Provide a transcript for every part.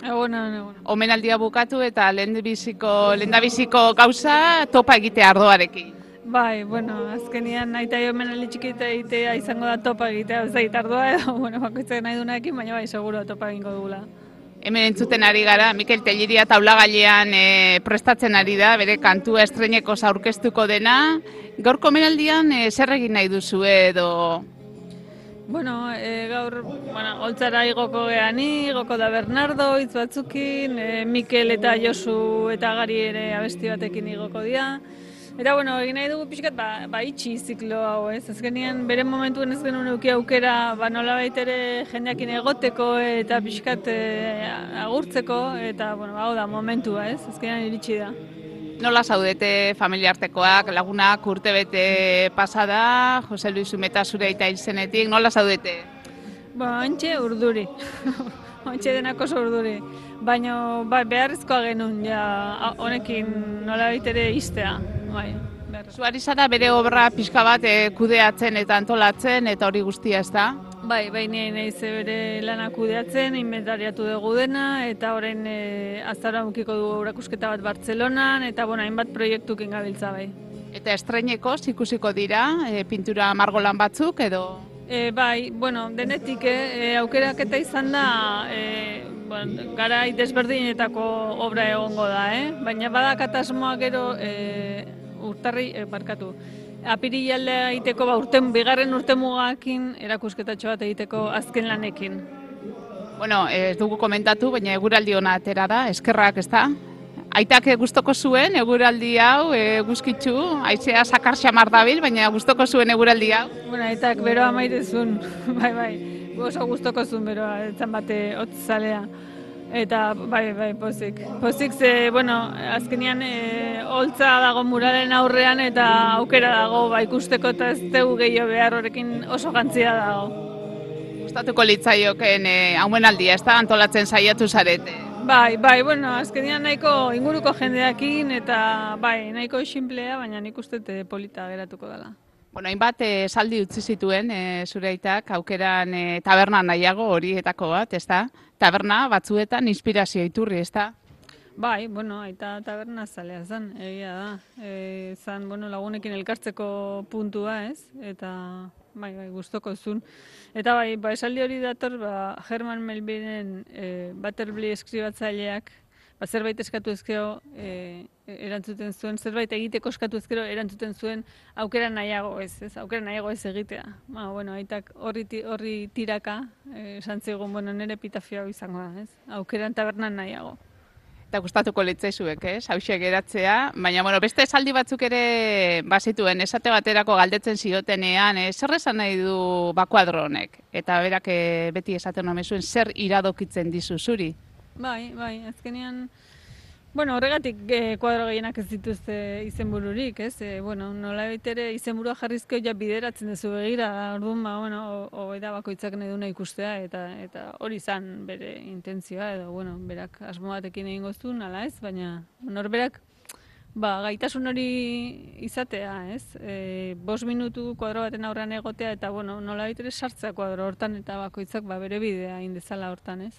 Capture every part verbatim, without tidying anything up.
Egunon, egunon. Omenaldia bukatu eta lehendabiziko lehendabiziko gauza topa egitea ardoarekin. Bai, bueno, azkenian nahi eta omenaldi txikita egitea izango da topa egitea, ez da ardua edo, bueno, bakoitzak nahi duenarekin, baina bai, seguro topa egingo dugula. Hemen entzuten ari gara, Mikel Telleria taulagailean e, prestatzen ari da, bere kantua estreineko aurkeztuko dena. Gaurko omenaldian e, zer egin nahi duzu edo... Bueno, e, gaur, bueno, holtzara igoko geani, igoko da Bernardo, hitz batzukin, e, Mikel eta Josu eta Gari ere abesti batekin igoko dira. Eta, bueno, egin nahi dugu pixkat, ba, ba itxi ziklo hau, ez? Azkenean, bere momentuen ez genuen euki aukera, ba, nolabait ere jendeakin egoteko eta pixkat e, agurtzeko, eta, bueno, hau da, momentua, ez? Azkenean iritsi da. Nola zaudete familiartekoak, lagunak urtebete pasada, Jose Luis Zumeta zure aita hil zenetik, nola zaudete? Ba, ontxe urduri, ontxe denak oso urduri, baina bai, beharrezkoa genuen ja honekin nolabait ere iztea. Bai, Zuari zara bere obra pixka bat e, kudeatzen eta antolatzen eta hori guztia ez da? Bai, bai, nire nahi ze bere lanak kudeatzen, inventariatu dugu dena, eta orain e, azara mukiko dugu erakusketa bat Bartzelonan, eta bueno, hainbat proiektukin gabiltza bai. Eta estreineko ikusiko dira, e, pintura margolan batzuk edo? E, bai, bueno, denetik, e, aukeraketa izan da, e, bueno, garai desberdinetako obra egongo da, eh? Baina badakat asmoa gero e, urtarri, e, barkatu, apirilaldea egiteko, ba, urten, bigarren urtemugakin erakusketatxo bat egiteko azken lanekin. Bueno, ez dugu komentatu, baina eguraldi ona atera da, eskerrak ez da? Aitak gustoko zuen eguraldi hau, eguzkitzu, haizea sakar xamar dabil, baina gustoko zuen eguraldi hau? Bueno, aitak beroa maitezun, bai, bai, oso gustoko zuen beroa, etzan bate hotzalea. Eta, bai, bai, pozik. Pozik ze, bueno, azkenian e, holtza dago muralen aurrean eta aukera dago ba, ikusteko eta ez dugu gehiago behar horrekin oso gantzia dago. Gustatuko litzaioken e, haumenaldia, ez da antolatzen saiatu zarete? Bai, bai, bueno, azkenian nahiko inguruko jendeakin eta bai, nahiko simplea, baina nik uste polita geratuko dela. Bueno, hainbat esaldi utzi zituen e, zure aitak aukeran e, taberna nahiago horietako bat, ez da? Taberna batzuetan inspirazio iturri, ez da? Bai, bueno, aita taberna zalea zen, egia da. E, zan, bueno, lagunekin elkartzeko puntua, ez? Eta, bai, bai, gustoko zuen. Eta bai, ba, esaldi hori dator, ba, Herman Melvillen e, Butterfly eskribatzaileak, ba, zerbait eskatu ezkero e, erantzuten zuen, zerbait egiteko eskatu ezkero erantzuten zuen aukera nahiago ez, ez, aukera nahiago ez egitea. Ba, bueno, aitak horri, horri tiraka, esan zigun, bueno, nire epitafio izango da, ez, aukeran tabernan nahiago. Eta gustatuko litzaizuek, ez, hauxe geratzea, baina, bueno, beste esaldi batzuk ere bazituen, esate baterako galdetzen ziotenean, e, zer esan nahi du bakuadro honek? Eta berak e, beti esaten nomezuen, zer iradokitzen dizu zuri? Bai, bai, azkenean, bueno, horregatik eh, kuadro gehienak ez dituzte izenbururik, ez? E, bueno, nola ere izenburua jarrizko ja bideratzen duzu begira, orduan, ba, bueno, hori da bakoitzak nahi duna ikustea, eta eta hori izan bere intentzioa, edo, bueno, berak asmo batekin egingo zuen, ala ez, baina, norberak, ba, gaitasun hori izatea, ez? E, bost minutu kuadro baten aurrean egotea, eta, bueno, nola ere sartzea kuadro hortan, eta bakoitzak, ba, bere bidea indezala hortan, ez?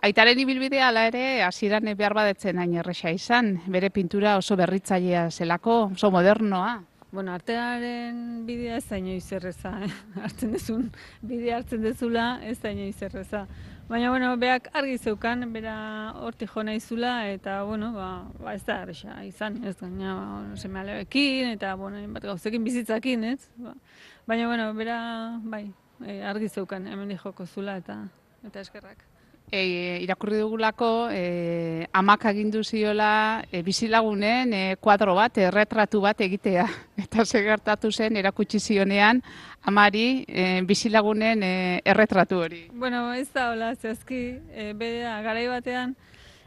Aitaren ibilbidea ala ere hasieran behar badetzen hain erresa izan, bere pintura oso berritzailea zelako, oso modernoa. Bueno, artearen bidea ez da inoiz erreza, eh? Hartzen dezun, bidea hartzen dezula ez da inoiz erreza. Baina, bueno, beak argi zeukan, bera hortik jo nahizula, eta, bueno, ba, ba ez da erresa izan, ez gaina, ba, seme alebekin, eta, bueno, bat gauzekin bizitzakin, ez? Ba, baina, bueno, bera, bai, argi zeukan, hemen joko zula, eta, eta eskerrak. E, irakurri dugulako, e, amak agindu ziola e, bizilagunen e, kuadro bat, erretratu bat egitea. Eta segertatu zen, erakutsi zionean, amari e, bizilagunen e, erretratu hori. Bueno, ez da hola, zehazki, e, bera, garai batean,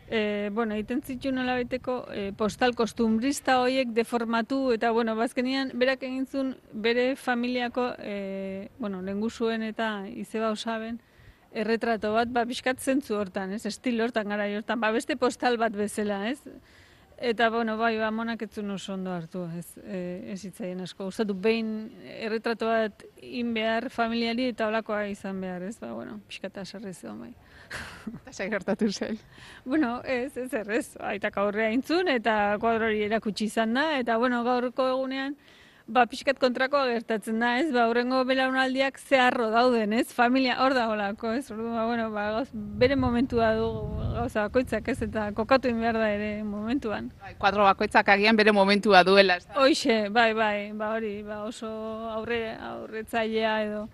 e, bueno, egiten zitu nola beteko e, postal kostumbrista horiek deformatu, eta, bueno, bazkenian, berak egin zuen bere familiako, e, bueno, lehengusuen eta izeba osaben, erretrato bat, ba, pixkat zentzu hortan, ez, estilo hortan, gara hortan, ba, beste postal bat bezala, ez? Eta, bueno, bai, ba, monak ez zuen oso ondo hartu, ez, e, ez hitzaien asko. Gustatu behin erretratu bat in behar familiari eta holakoa izan behar, ez? Ba, bueno, pixkata sarri zion, bai. Eta zer gertatu zen. Bueno, ez, ez errez, aitak aurrea intzun eta kuadro hori erakutsi izan da, eta, bueno, gaurko egunean, ba, pixkat kontrakoa gertatzen da, ez? Ba, hurrengo belaunaldiak zeharro dauden, ez? Familia hor da holako, ez? Ordu, ba, bueno, ba, gauz, bere momentua du gauza bakoitzak, ez? Eta kokatu egin behar da ere momentuan. Bai, kuadro bakoitzak agian bere momentua duela. Ez da? Hoixe, bai, bai, ba, hori, ba, oso aurre, aurretzailea edo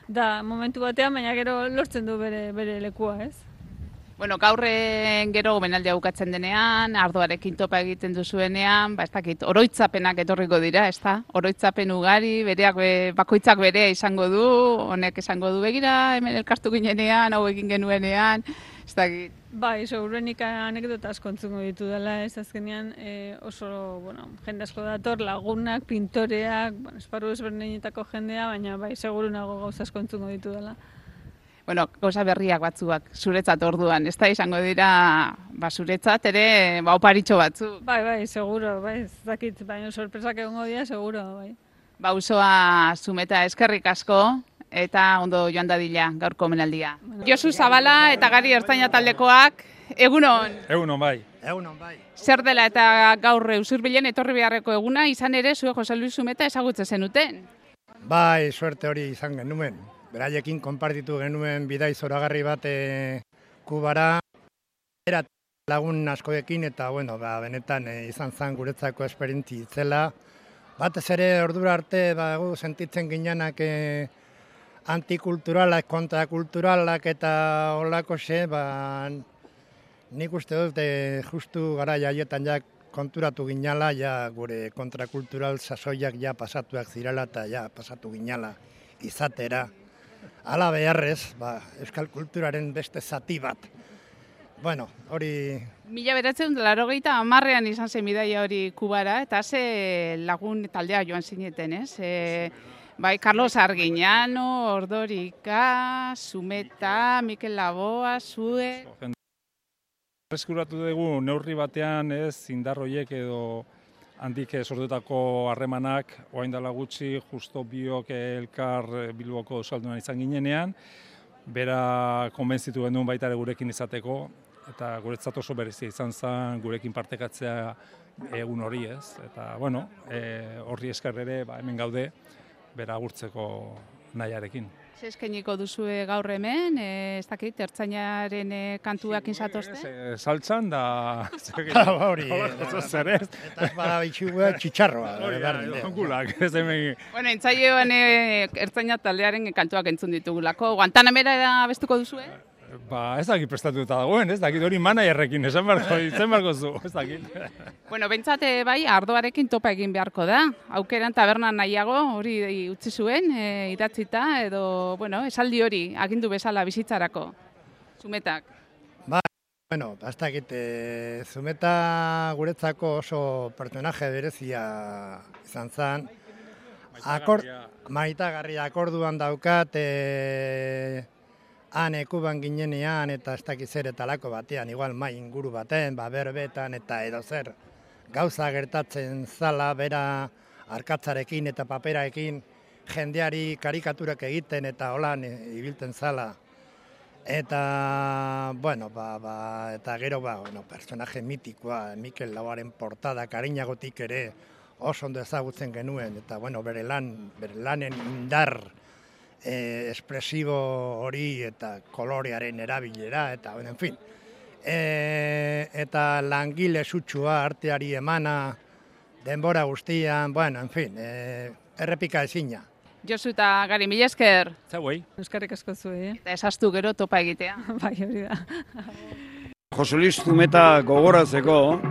da momentu batean, baina gero lortzen du bere, bere lekua, ez? Bueno, gaurren gero gomenaldia bukatzen denean, ardoarekin topa egiten duzuenean, ba, ez dakit, oroitzapenak etorriko dira, ez da? Oroitzapen ugari, bereak, be, bakoitzak berea izango du, honek esango du begira, hemen elkartu ginenean, hau egin genuenean, ez dakit. Bai, seguruenik anekdota asko entzungo ditu dela, ez azkenean e, oso, bueno, jende asko dator, lagunak, pintoreak, bueno, esparru ezberdinetako jendea, baina bai, segurunago gauza asko entzungo ditu dela. Bueno, gauza berriak batzuak, zuretzat orduan, ez da izango dira, ba, zuretzat ere, ba, oparitxo batzuk. Bai, bai, seguro, bai, ez dakit, baina sorpresak egongo dira, seguro, bai. Ba, usoa Zumeta eskerrik asko, eta ondo joan dadila gaurko omenaldia. Bueno, Josu Zabala eta Gari Ertzaina taldekoak, egunon? Egunon, bai. Egunon, bai. Zer dela eta gaur Usurbilen etorri beharreko eguna, izan ere, zue Jose Luis Zumeta ezagutzen zenuten? Bai, suerte hori izan genuen. Beraiekin konpartitu genuen bidai zoragarri bat e, Kubara, era lagun askoekin eta bueno, ba, benetan e, izan zen guretzako esperientzi itzela. Batez ere ordura arte ba, gu sentitzen ginenak e, antikulturalak, kontrakulturalak eta holako xe, ba, nik uste dut e, justu gara jaietan ja konturatu ginala, ja gure kontrakultural sasoiak ja pasatuak zirela eta ja pasatu ginala izatera. Hala beharrez, ba, euskal kulturaren beste zati bat. Bueno, hori... Mila beratzen laurogeita hamarrean izan zen bidaia hori Kubara, eta ze lagun taldea joan zineten, ez? E, bai, Carlos Arguiñano, Ordorika, Zumeta, Mikel Laboa, Zue... Eskuratu dugu neurri batean ez indarroiek edo handik sortutako harremanak, orain dela gutxi, justo biok elkar Bilboko euskaldunan izan ginenean, bera konbentzitu genuen baita ere gurekin izateko, eta guretzat oso berezia izan zen gurekin partekatzea egun hori ez. Eta, bueno, e, horri esker ere ba, hemen gaude, bera agurtzeko nahiarekin. Ze eskainiko duzue gaur hemen, e, ez dakit, ertzainaren e, kantuak inzatozte? E, saltzan da... Hori, zer ez? Eta ez bada bitxigua txitxarroa. Gulak, ez hemen... Bueno, intzaioan e, ertzaina taldearen kantuak entzun ditugulako. Guantanamera abestuko duzue? Ba, ez dakit prestatuta dagoen, ez dakit hori managerrekin, esan barko, izen barko zu, ez dakit. Bueno, bentsate bai, ardoarekin topa egin beharko da. Aukeran tabernan nahiago hori utzi zuen, e, idatzita, edo, bueno, esaldi hori, agindu bezala bizitzarako. Zumetak. Ba, bueno, ez dakit, e, Zumeta guretzako oso personaje berezia izan zen. Akor, maitagarria akorduan daukat, e, han ekuban ginenean eta ez dakiz zer eta lako batean, igual mai inguru baten, ba, berbetan eta edo zer gauza gertatzen zala, bera arkatzarekin eta paperaekin jendeari karikaturak egiten eta holan ibiltzen zala. Eta, bueno, ba, ba, eta gero, ba, bueno, personaje mitikoa, Mikel Laboaren portada, Kariñagotik ere oso ondo ezagutzen genuen, eta, bueno, bere lan, bere lanen indar, E, espresibo hori eta kolorearen erabilera, eta, bueno, en fin. E, eta langile sutsua arteari emana, denbora guztian, bueno, en fin, e, errepika ezina. Josu eta Gari, mila esker. Zauei. Euskarrik asko zuen, eh? Eta esaztu gero topa egitea. Bai, hori da. Jose Luis Zumeta gogoratzeko,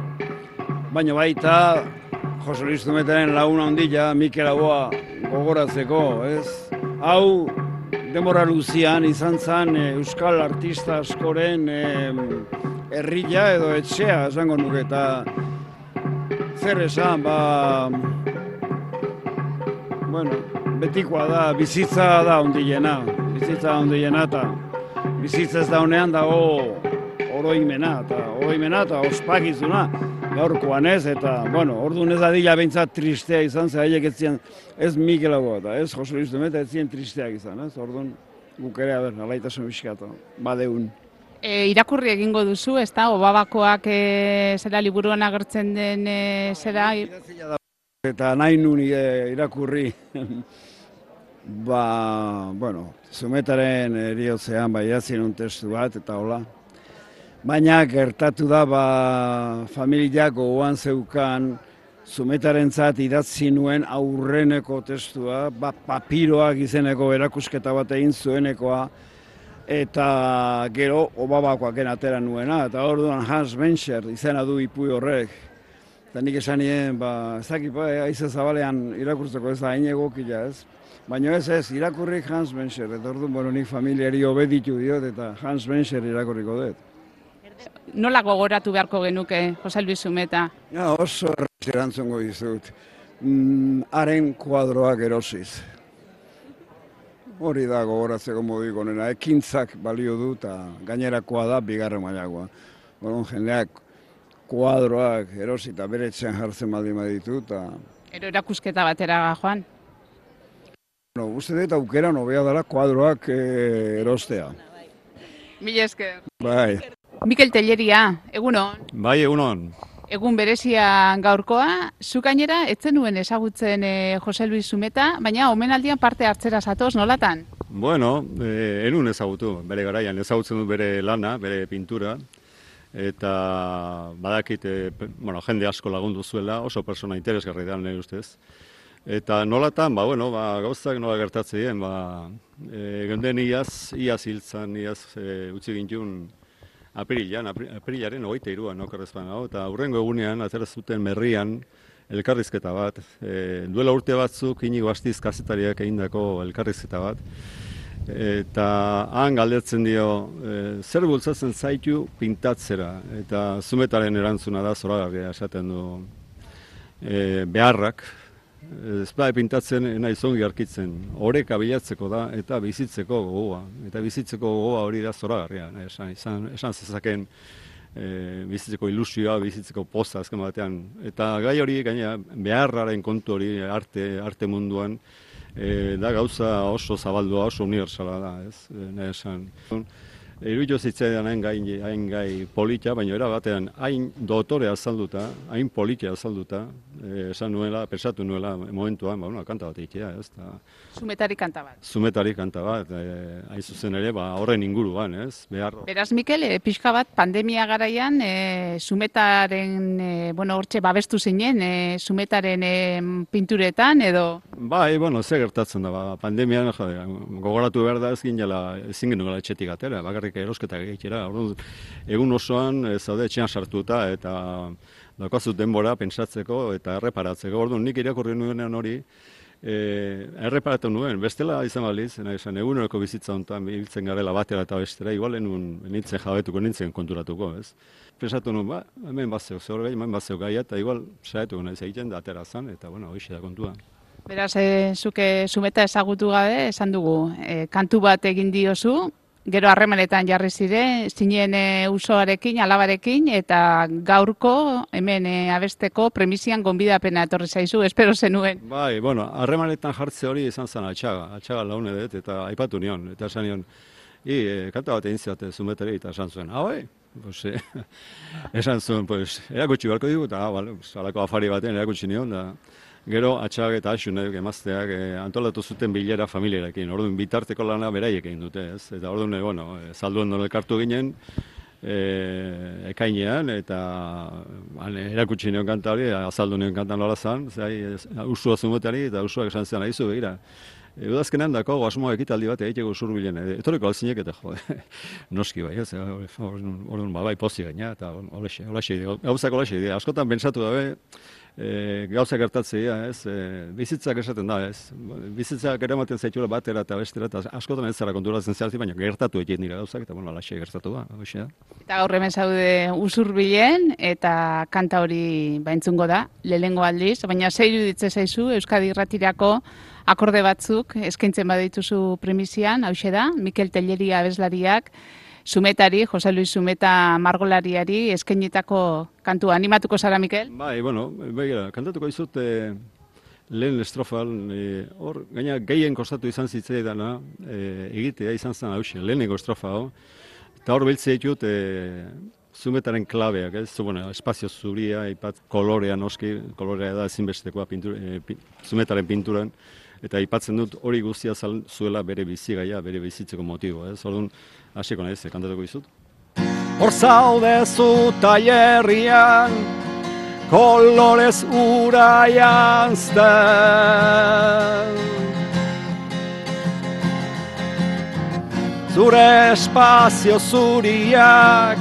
baina baita Jose Luis Zumetaren laguna ondila, Mikel Laboa gogoratzeko, ez? Hau, denbora luzian izan zen euskal artista askoren herria edo etxea, esango nuke, eta zer esan, ba, bueno, betikoa da, bizitza da ondilena, bizitza da ondilena, eta bizitza ez da honean dago oroimena, eta oroimena eta ospakizuna, gaurkoan ez, eta, bueno, orduan ez adila behintzat tristea izan, ze haiek ez ziren, ez Mikelagoa eta ez Jose Luis Zumeta ez ziren tristeak izan, ez, orduan guk ere, aber, alaitasun biskatu, badeun. E, irakurri egingo duzu, ez da, Obabakoak e, zera liburuan agertzen den e, zera... Eta nahi nun e, irakurri, ba, bueno, Zumetaren eriotzean, bai, jatzien un testu bat, eta hola. Baina gertatu da, ba, familiak gogoan zeukan, Zumetarentzat idatzi nuen aurreneko testua, ba, papiroak izeneko erakusketa bat egin zuenekoa, eta gero Obabakoak atera nuena, eta orduan Hans Benscher izena du ipuin horrek. Eta nik esan nien, ba, ez dakit, ba, aize zabalean irakurtzeko ez da hain egokila ez. Baina ez ez, irakurrik Hans Benscher, eta orduan, bueno, nik familiari obeditu diot, eta Hans Benscher irakurriko dut. Nola gogoratu beharko genuke, Jose Luis Zumeta? Ja, oso erraz erantzungo dizut. Mm, haren kuadroak erosiz. Hori da gogoratzeko moduik onena, ekintzak balio du eta gainerakoa da bigarren mailakoa. Bueno, jendeak kuadroak erosi eta bere etxean jartzen baldin baditu eta... Ero erakusketa batera, Joan? No, uste dut aukera nobea dela kuadroak e, erostea. Mila esker. Bai. Mikel Telleria, egunon? Bai, egunon. Egun berezia gaurkoa, zu gainera etzen nuen ezagutzen e, Jose Luis Zumeta, baina omenaldian parte hartzera zatoz, nolatan? Bueno, e, enun ezagutu, bere garaian, ezagutzen du bere lana, bere pintura, eta badakit, e, bueno, jende asko lagundu zuela, oso persona interesgarri da nire ustez. Eta nolatan, ba, bueno, ba, gauzak nola gertatzen dien, ba, e, genden iaz, iaz hiltzan, iaz e, utzi gintun, Apirilan, apirilaren hogeita hiruan okerrezpan hau, eta hurrengo egunean atera zuten Merrian elkarrizketa bat. E, duela urte batzuk Inigo Astiz kazetariak egindako elkarrizketa bat. Eta han galdetzen dio, e, zer bultzatzen zaitu pintatzera, eta Zumetaren erantzuna da zoragarria esaten du e, beharrak. Ez da pintatzen nahi zongi arkitzen, oreka bilatzeko da eta bizitzeko gogoa. Eta bizitzeko gogoa hori da zoragarria, esan, esan, esan zezaken e, bizitzeko ilusioa, bizitzeko poza azken batean. Eta gai hori gaina beharraren kontu hori arte, arte munduan e, da gauza oso zabaldua, oso universala da, ez, nahi esan. Iruditu zitzaidan hain gai, hain gai polita, baina era batean hain dotore azalduta, hain polita azalduta, eh, esan nuela, pensatu nuela momentuan, ba, una, kanta bat egitea, ez? Ta, Zumetari kanta bat. Zumetari kanta bat, eh, hain zuzen ere, ba, horren inguruan, ez? Behar... Beraz, Mikel, e, pixka bat, pandemia garaian, e, Zumetaren, e, bueno, hortxe babestu zinen, e, Zumetaren e, pinturetan, edo... Bai, bueno, ze gertatzen da, ba, pandemian, jade, gogoratu behar da ez ginela, ezin genuela etxetik atera, bakarrik erosketak egitera. Orduan, egun osoan e, zaude etxean sartuta eta daukazu denbora pentsatzeko eta erreparatzeko. Orduan, nik irakurri nuenean hori, e, erreparatu nuen, bestela izan baliz, nahi esan, eguneroko bizitza honetan biltzen garela batera eta bestera, igual enun nintzen jabetuko, nintzen konturatuko, ez? Pensatu nuen, ba, hemen batzeu, zehor gai, hemen batzeu gaia, eta igual saietuko nahiz egiten da atera zan, eta bueno, hoxe da kontua. Beraz, e, zuke Zumeta ezagutu gabe, esan dugu, e, kantu bat egin diozu, gero harremanetan jarri zire, zinen e, usoarekin, alabarekin, eta gaurko hemen e, abesteko premisian gonbidapena etorri zaizu, espero zenuen. Bai, bueno, harremanetan jartze hori izan zen atxaga, atxaga laune dut, eta aipatu nion, eta esan nion, i, e, kanta bat egin ziate Zumetari, eta esan zuen, ah, bai, pues, e, esan zuen, pues, erakutsi beharko digu, eta, ah, vale, alako afari batean erakutsi nion, da, gero atxagak eta asunek emazteak e, antolatu zuten bilera familiarekin. Orduan bitarteko lana beraiek egin dute, ez? Eta orduan, bueno, e, zalduen nola elkartu ginen e, ekainean eta an, erakutsi nion kanta hori, azaldu nion kanta nola zan, zai, usua Zumetari eta usuak esan zian ahizu begira. E, udazkenean dako asmoa ekitaldi bat egiteko zurbilen, e, etorriko alzinek eta jode, noski bai, ez? Orduan, ba, bai pozi gaina, eta olaxe, olaxe, gauzak olaxe, askotan pentsatu dabe, E, gauza gertatzea, ez, e, bizitzak esaten da, ez, bizitzak eramaten zaitula batera eta bestera, eta askotan ez zara konturatzen zehazti, baina gertatu egiten dira gauzak, eta bueno, alaxe gertatu da, hoxe da. Eta gaur hemen zaude Usurbilen, eta kanta hori baintzungo da, lehengo aldiz, baina zer iruditze zaizu Euskadi Irratirako akorde batzuk eskaintzen badituzu premisian, hauxe da, Mikel Telleria abeslariak, Zumetari, Jose Luis Zumeta margolariari eskainitako kantua. Animatuko zara, Mikel? Bai, bueno, begira, kantatuko dizut e, lehen estrofal, e, hor, gaina gehien kostatu izan zitzaidana, e, egitea izan zen hausia, lehenengo estrofa hau, eta hor biltzea ditut e, Zumetaren klabeak, ez? Bueno, espazio zuria, ipat kolorea noski, kolorea da ezinbestekoa pintura, e, pi, Zumetaren pinturan, eta aipatzen dut hori guztia zuela bere bizigaia, bere bizitzeko motibo, ez? Orduan, hasiko naiz, kantatuko dizut. Hor zaude zu tailerrian, kolorez ura janzten. Zure espazio zuriak,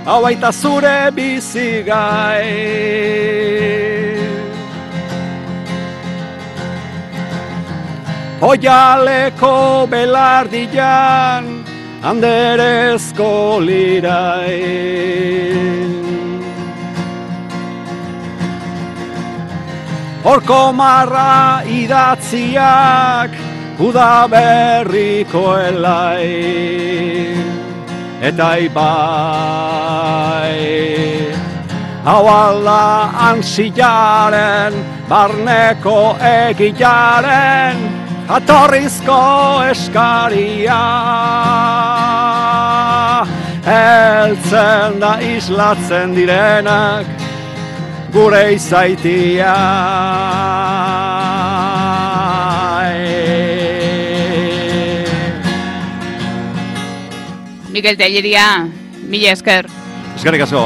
hau baita zure bizigai. Oialeko belardian, anderezko lirai. Horko marra idatziak, udaberriko elai. Eta ibai, hau alda ansiaren, barneko egilaren, jatorrizko eskaria. Heltzen da islatzen direnak, gure izaitia. Mikel Tellería, mila esker. Eskerrik asko.